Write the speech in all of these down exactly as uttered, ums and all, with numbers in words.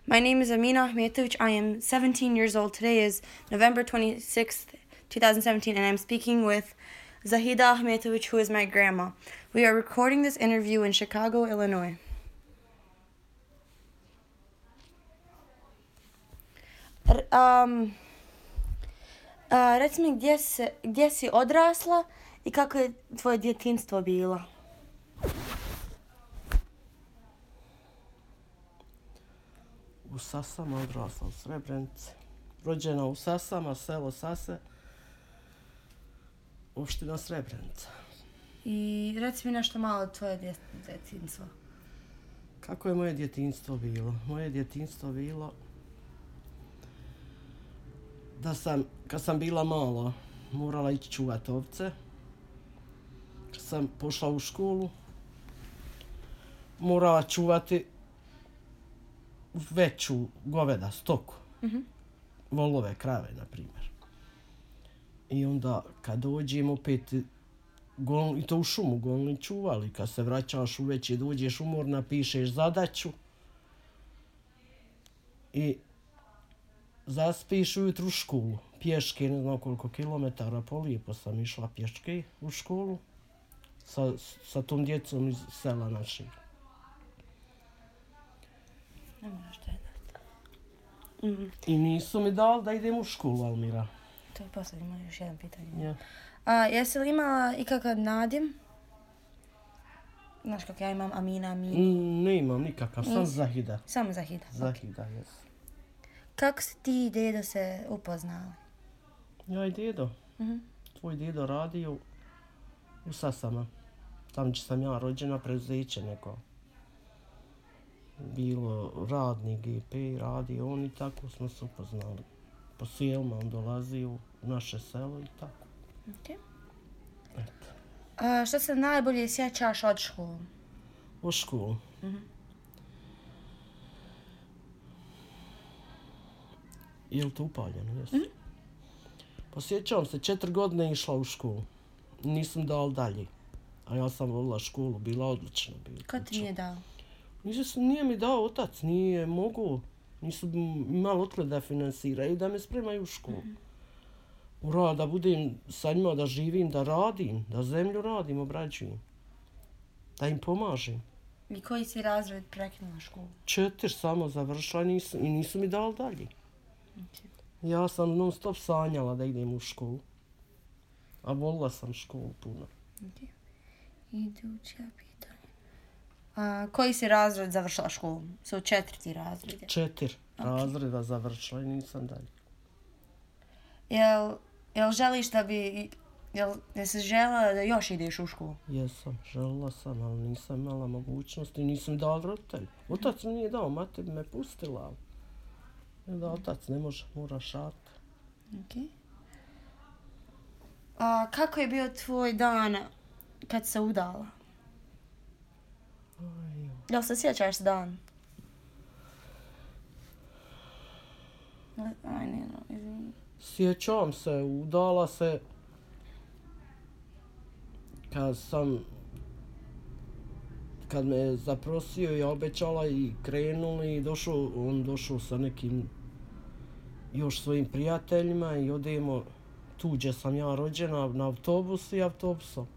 My name is Amina Ahmetovic. I am seventeen years old. Today is November twenty-sixth, twenty seventeen, and I'm speaking with Zahida Ahmetovic, who is my grandma. We are recording this interview in Chicago, Illinois. R- um, uh, reci mi gdje, se, gdje si odrasla i kako je tvoje djetinjstvo bilo? U Sasama odrasla, u Srebrenici. Rođena u Sasama, selo Sase, opština Srebrenica. I reci mi nešto malo od tvoje djetinjstva. Kako je moje djetinjstvo bilo? Moje djetinjstvo bilo da sam, kad sam bila mala, morala ići čuvat ovce. Kad sam pošla u školu, morala čuvati veću goveda, stoku. Mm-hmm. Volove, krave, na primjer. I onda kad dođem opet, gol, i to u šumu golni čuvali, kad se vraćaš uveče, dođeš umorna, pišeš zadaću i zaspiš ujutru u školu. Pješke, ne znam koliko kilometara, polijepo sam išla pješke u školu sa, sa tom djecom iz sela našeg. Ne moraš to jednati. Mm-hmm. I nisu mi dali da idem u školu, Almira. To je posljedno, ima još jedan pitanje. Yeah. A, jesi li imala ikakav nadim? Znaš kako ja imam Amina, Amina. Mm, ne imam nikakav, sam Zahida. Samo Zahida. Zahida, jes. Kako si ti i dedo se upoznali? Ja i dedo. Mm-hmm. Tvoj dedo radio u Sasama. Tam gdje sam ja rođena, preduzeće neko. Bilo radni G P, radio on i tako smo se upoznali. Po selima on dolazio u naše selo i tako. Okay. Eto. A što se najbolje sjećaš od školu? U školu? Mm-hmm. Je li to upaljeno? Jesu. Mm-hmm. Pa sjećam se, četiri godine išla u školu. Nisam dal dalje. A ja sam volila školu, bila odlična. Bila Ko ti nije dao? Nisam, nije mi dao otac, nije mogu. Nisu imali otkle da finansiraju, da me spremaju u školu. Mm-hmm. Ura, da budem sa njima, da živim, da radim, da zemlju radim, obrađujem. Da im pomažem. I koji si razred prekinula školu? Četiri samo završila nisu, i nisu mi dali dalje. Okay. Ja sam non stop sanjala da idem u školu. A volila sam školu puno. Okay. Iduća pitanje. A, koji si razred završila školu? Su četvrti razred? Četiri okay. razreda završila i nisam dalje. Jel, jel želiš da bi... Jel, jel si žela da još ideš u školu? Jesam, želila sam, ali nisam imala mogućnosti, nisam dala roditelj. Otac mi nije dao, mati bi me pustila. Da, otac ne može, mora šat. Okay. A kako je bio tvoj dan kad se udala? Aj, jel se sjećaš dan? Aj, ne, no, izvini. Sjećam se, udala se kad sam, kad me zaprosio, ja obećala i krenuli i došao, on došao sa nekim još svojim prijateljima i odemo tu gdje sam ja rođena na autobus i autobusom.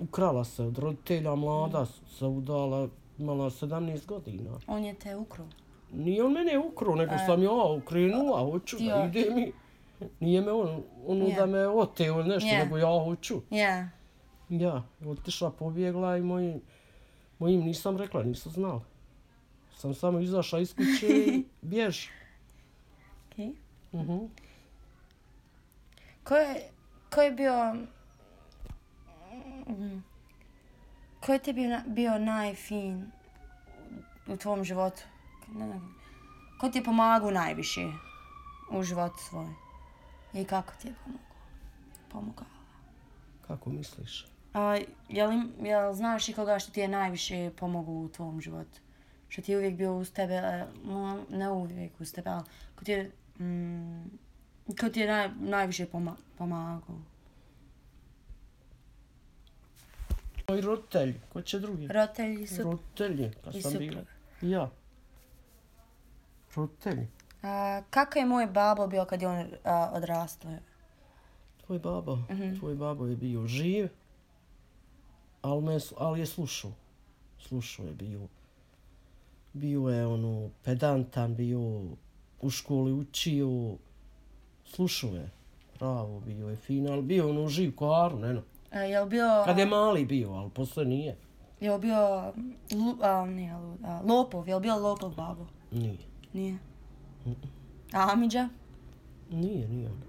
Ukrala se od roditelja, mlada se udala, imala sedamnaest godina. On je te ukruo? Nije on mene ukruo, nego e. sam ja ukrenula, hoću da ide mi. Nije me on, ono yeah. da me oteo nešto, yeah. nego ja hoću. Yeah. Ja, otišla, pobjegla i mojim, mojim nisam rekla, nisu znali. Sam samo izašla iz kuće i bjež. Okay. Uh-huh. Ko je, ko je bio... Ko je ti bio, bio najfin u tvom životu? Ne, ne. Ko ti je pomagao najviše u životu svoj? I kako ti je pomogao? Pomogao? Kako misliš? A, jel, jel znaš i koga što ti je najviše pomogao u tvom životu? Što ti je uvijek bio uz tebe, ne uvijek uz tebe, ali ko ti je, mm, ko ti je naj, najviše poma, pomagao? Moji roditelji, ko će drugi? Roditelji su... Roditelji, kad sam bila. Ja. roditelji. A, kako je moj babo bio kad je on a, odrastao? Tvoj babo, Mhm. tvoj babo je bio živ, ali, me, ali je slušao. Slušao je bio. Bio je ono pedantan, bio u školi učio, slušao je. Pravo, bio je fin, ali bio ono živ ko Aron, eno. A, je li bio... Kad je mali bio, ali posle nije. Je li bio... Lu, a, nije lud, a, lopov, je li bio lopov babo? Nije. Nije. A Amidža? Nije, nije on.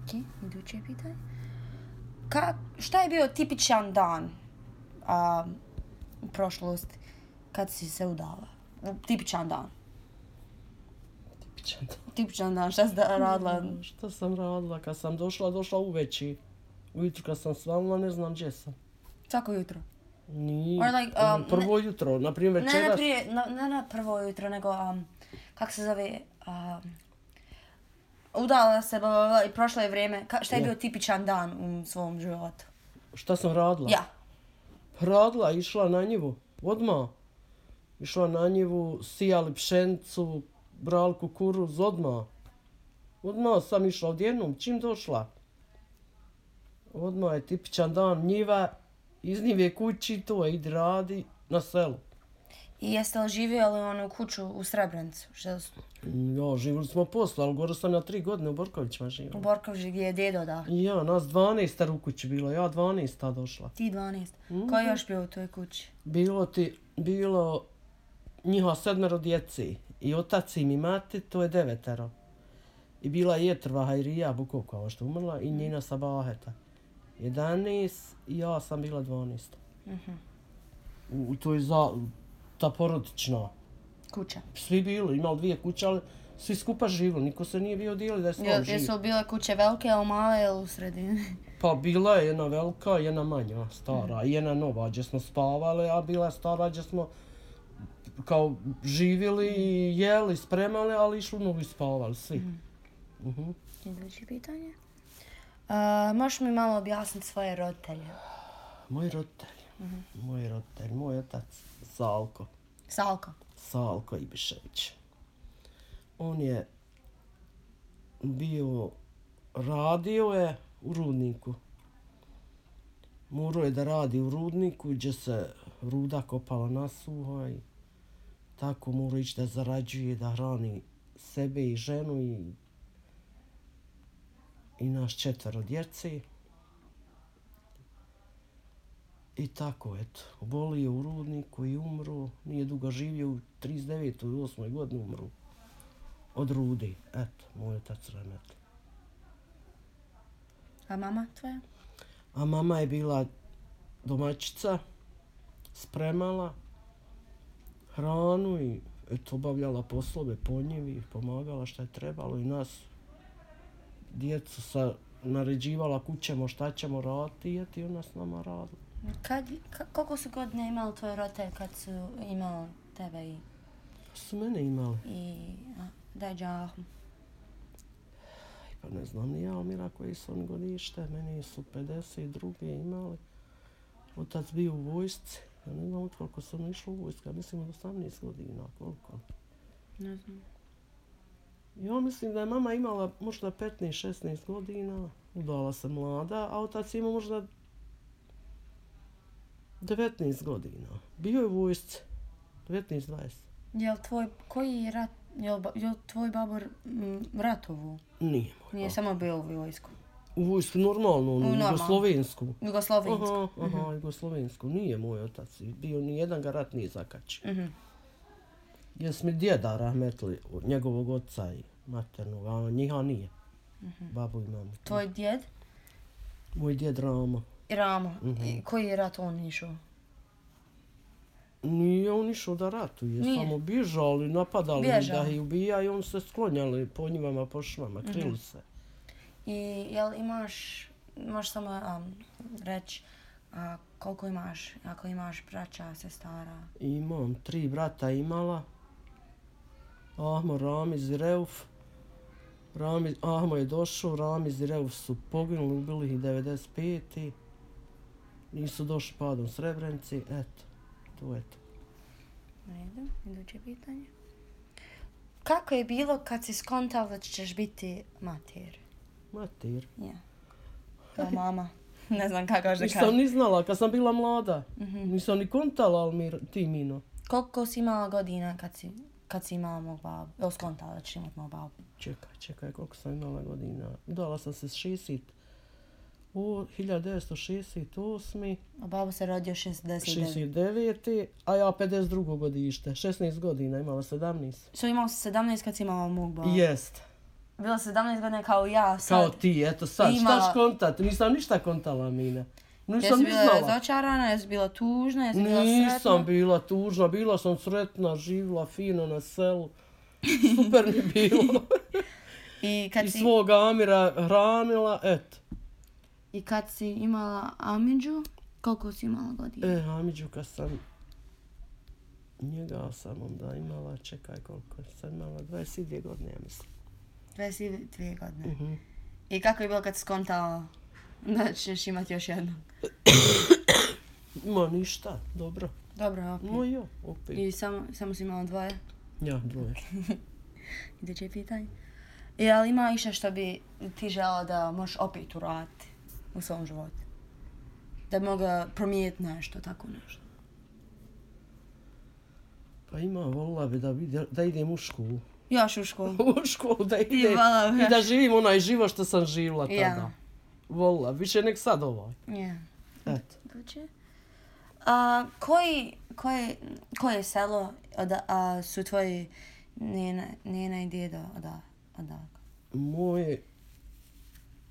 Ok, iduće pitanje. Ka, šta je bio tipičan dan a, u prošlosti kad si se udala? Tipičan dan. Tipičan dan. Tipičan dan, šta si da radila? Šta sam radila? Kad sam došla, došla uveći. Ujutro kad sam svanula, ne znam gdje sam. Svako jutro. Nije. Or like, um, prvo jutro, na primjer Ne, večeras. ne, prije, na, ne na prvo jutro, nego, um, kak se zove, um, udala se, bla, bla, bla, i prošlo je vrijeme. Ka, šta je Ja. bio tipičan dan u svom životu? Šta sam radila? Ja. Radila, išla na njivu. Odmah. Išla na njivu, sijali pšenicu, brali kukuruz, odmah. Odmah sam išla odjednom, čim došla. Odmah je tipičan dan, njiva, iz njive kući, to je, idi radi na selu. I jeste li živjeli onu kuću u Srebrenicu? Što su Ja, živjeli smo posle, ali gore sam na tri godine u Borkovićima u živjela. Borkovži gdje je djedo da? Ja, nas dvanaest u kući bilo, ja dvanaest došla. Ti dvanaest. Mhm. Ko je još bio u toj kući? Bilo ti, bilo njiha sedmero djeci. I otac im i mati, to je devetero. I bila je Jetrva Hajrija Bukovka, što umrla, i njena Sabaheta. jedanaest i ja sam bila dvanaest. Mhm. U, u toj za, ta porodična. Kuća. Svi bili, imali dvije kuće, ali svi skupa živjeli, niko se nije bio dijeli da je Je, sam živ. jesu li bile kuće velike, ili male, ili u sredini? Pa bila je jedna velika, jedna manja, stara, i jedna nova, gdje smo spavali, a bila je stara gdje smo kao živjeli, jeli, spremali, ali išli u novu i spavali, svi. Mhm. Iduće pitanje. Uh, možeš mi malo objasniti svoje roditelje? Moji roditelji, moji roditelji, moj otac Salko, Salko. Salko Ibišević. On je bio, radio je u rudniku. Morao je da radi u rudniku gdje se ruda kopala na suho i tako morao ići da zarađuje, da hrani sebe i ženu i, i naš četvero djeci. I tako, eto, obolio u rudniku i umro. Nije dugo živio, u trideset devetoj i osmoj godini umru. Od rudi, eto, moj otac Remet. A mama tvoja? A mama je bila domaćica, spremala hranu i eto, obavljala poslove po njivi, pomagala šta je trebalo i nas, djecu, sa, naređivala kućemo šta ćemo raditi i ona s nama radila. Kad, ka, koliko su godine imali tvoji roditelji kad su imali tebe i... Su mene imali. i a, daj džahom. Pa ne znam ni ja, Mira, koji su oni godište, meni su pedeset druge imali. Otac bio u vojsci, ja ne znam od koliko sam išla u vojsku, ja mislim od osamnaest godina, koliko. Ne znam. Ja mislim da je mama imala možda petnaest šesnaest godina, udala se mlada, a otac ima možda devetnaest godina. Bio je u vojsci, devetnaest dvadeset. Jel tvoj, koji je rat, jel, ba- jel tvoj babo m, ratovu? Nije moj Nije babo. samo bio u vojsku. U vojsku normalno, onu normalno. jugoslovensku. Jugoslovensku. Aha, aha, jugoslovensku. Nije moj otac. Bio ni jedan ga rat nije zakačio. Mhm. Jes mi djeda rahmetli od njegovog oca i maternog, a njiha nije. Babu i mamu. Tvoj djed? Moj djed Ramo. I Ramo. I koji je rat on išao? Nije on išao da ratuje, Nije. samo bježali, napadali Bježao. da ih ubija i on se sklonjali po njivama, po švama, krili se. I jel imaš, možeš samo um, reći a, koliko imaš, ako imaš braća, sestara? Imam tri brata imala. Ahmo, Ramiz i Reuf. Ramiz, Ahmo je došao, Ramiz i Reuf su poginuli, ubili ih devedeset pete. Nisu došli padom Srebrenici, eto, to je to. U redu, iduće pitanje. kako je bilo kad si skontala da ćeš biti mater? Mater. Ja. Kao mama. Ne znam kako još da Nisam kažem. ni znala kad sam bila mlada. Mhm. Nisam ni kontala, ali mi, ti Mino. Koliko si imala godina kad si, kad si imala mog babu? Evo skontala da ćeš imat mog babu. Čekaj, čekaj, koliko sam imala godina. Udala sam se s šezdeset, o, hiljadu devetsto šezdeset osme. A babo se rodio šezdeset devet. šezdeset devete. A ja pedeset drugo godište. šesnaest godina, imala sedamnaest. So imala si sedamnaest kad si imala mog babu? Jest. Bila sedamnaest godina kao ja sad. Kao ti, eto sad, Imala- šta kontat? Nisam ništa kontala, Mina. Nisam Jesi ni bila znala. razočarana, jesi bila tužna, jesi bila sretna? Nisam bila tužna, bila sam sretna, živjela fino na selu. Super mi bilo. I kad I si, svoga Amira hranila, eto. i kad si imala Amidžu, koliko si imala godina? E, Amidžu kad sam, njega sam onda imala, čekaj koliko sam imala, dvadeset dvije godine, ja mislim. dvadeset dvije godine. Mhm. I kako je bilo kad si skontala da ćeš imati još jednog? Ma ništa, dobro. Dobro, opet. No jo, opet. I samo, samo si imala dvoje? Ja, dvoje. Iduće pitanje. I ali ima išta što bi ti žela da možeš opet uraditi u svom životu? Da bi mogla promijeniti nešto, tako nešto. Pa ima, volila bi da, bi, da idem u školu. Još u školu. U školu da idem volila bi. i da živim onaj život što sam živjela tada. Ja. Volila, više nek sad ovaj. Ja. Eto. Dođe. A koji, koje, koje selo oda, a, su tvoji njena, njena i djedo oda, odakle? Moj,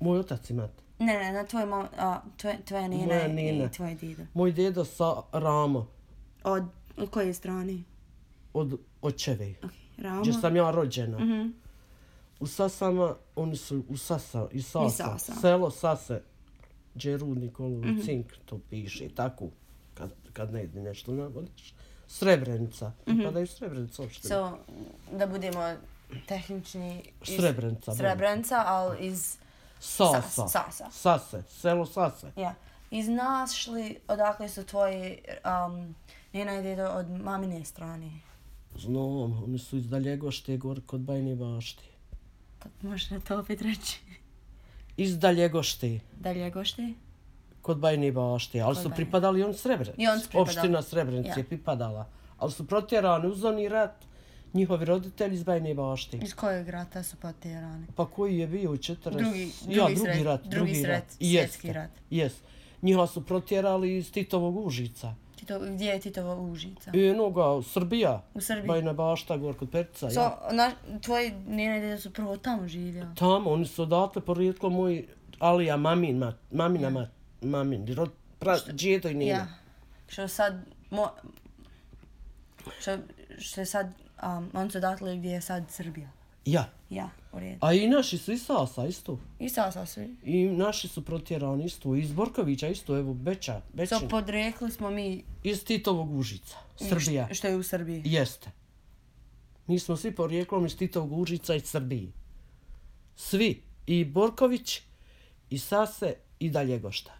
moj otac i mati. Ne, ne, na tvoj mom, a, tvoje, tvoja njena Moja i nina. tvoj djedo. Moj dedo sa Rama, Od, od koje strane? od očeve, Ok, Rama. gdje sam ja rođena. Mhm. U Sasama, oni su u Sasa, i Sasa, I Sasa. selo Sase, gdje je rudnik, mm cink, to piše, tako, kad, kad ne ide nešto navodiš. Srebrenica, pripadaju Srebrenica uopšte. So, da budemo tehnični... iz Srebrenica. Srebrenica, ali iz... Sasa. Sas- Sasa. Sase, selo Sase. Ja. Iz našli odakle su tvoji um, njena i djedo od mamine strane. Znam, oni su iz Daljegošte, gore kod Bajne Bašte. Kako možeš na to opet reći? Iz Daljegošte, Daljegošte? kod Bajne Bašte, ali Kod su Bajne. pripadali on Srebrenica. I oni su pripadali. Opština Srebrenica Ja. je pripadala. Ali su protjerani uz oni rat, njihovi roditelji iz Bajne Bašte. Iz kojeg rata su potjerani? Pa koji je bio u četrdeset... Drugi, drugi, ja, drugi sret, rat, drugi, drugi sret, rat. svjetski Jeste, rat. Jest. Njihova su protjerali iz Titovog Užica. Tito, gdje je Titova Užica? I jednoga, Srbija. U Srbiji. Bajna Bašta, gor kod Perica. So, ja. na, tvoji njena i djedo su prvo tamo živjeli. Tamo, oni su odatle porijetlo moj Alija, mamin, mat, mamina Ja. mat, mamin, rod, pra, djedo i nina. Ja. Što sad... Mo, što, što je sad... Um, on su odatle gdje je sad Srbija. Ja. Ja, u redu. A i naši su iz Sasa isto. I Sasa svi. I naši su protjerani isto. Iz Borkovića isto, evo, Beča, Bečin. So, podrekli smo mi... Iz Titovog Užica, Srbija. Što, što je u Srbiji. Jeste. Mi smo svi porijeklom iz Titovog Užica i Srbiji. Svi. I Borković, i Sase, i Daljegošta.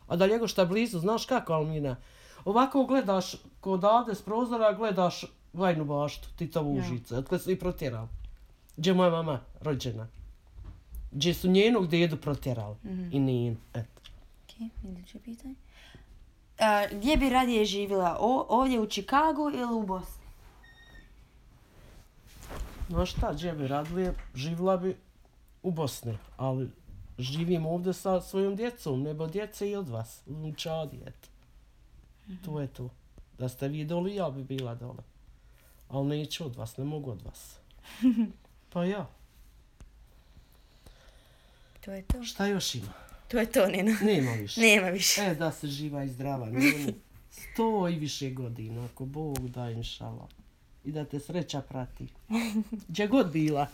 A Daljegošta je blizu, znaš kako, Almina? Ovako gledaš kod ovde s prozora, gledaš Vajnu Baštu, Titovu Ja. Užicu. Otkle su i protjerali. Gdje je moja mama rođena. Gdje su njenog dedu protjerali. Mhm. I njen, eto. Ok, iduće pitanje. A, gdje bi radije živjela? O, ovdje u Čikagu ili u Bosni? Znaš šta, gdje bi radila, živjela bi u Bosni, ali živim ovdje sa svojom djecom, nebo djece i od vas, u Čadi, eto. To je to. Da ste vi doli, ja bi bila dole. Ali neću od vas, ne mogu od vas. Pa ja, To je to. šta još ima? To je to, Nina. Nema više. Nema više. E, da se živa i zdrava, nema sto i više godina, ako Bog da, inšala. I da te sreća prati. Gdje god bila.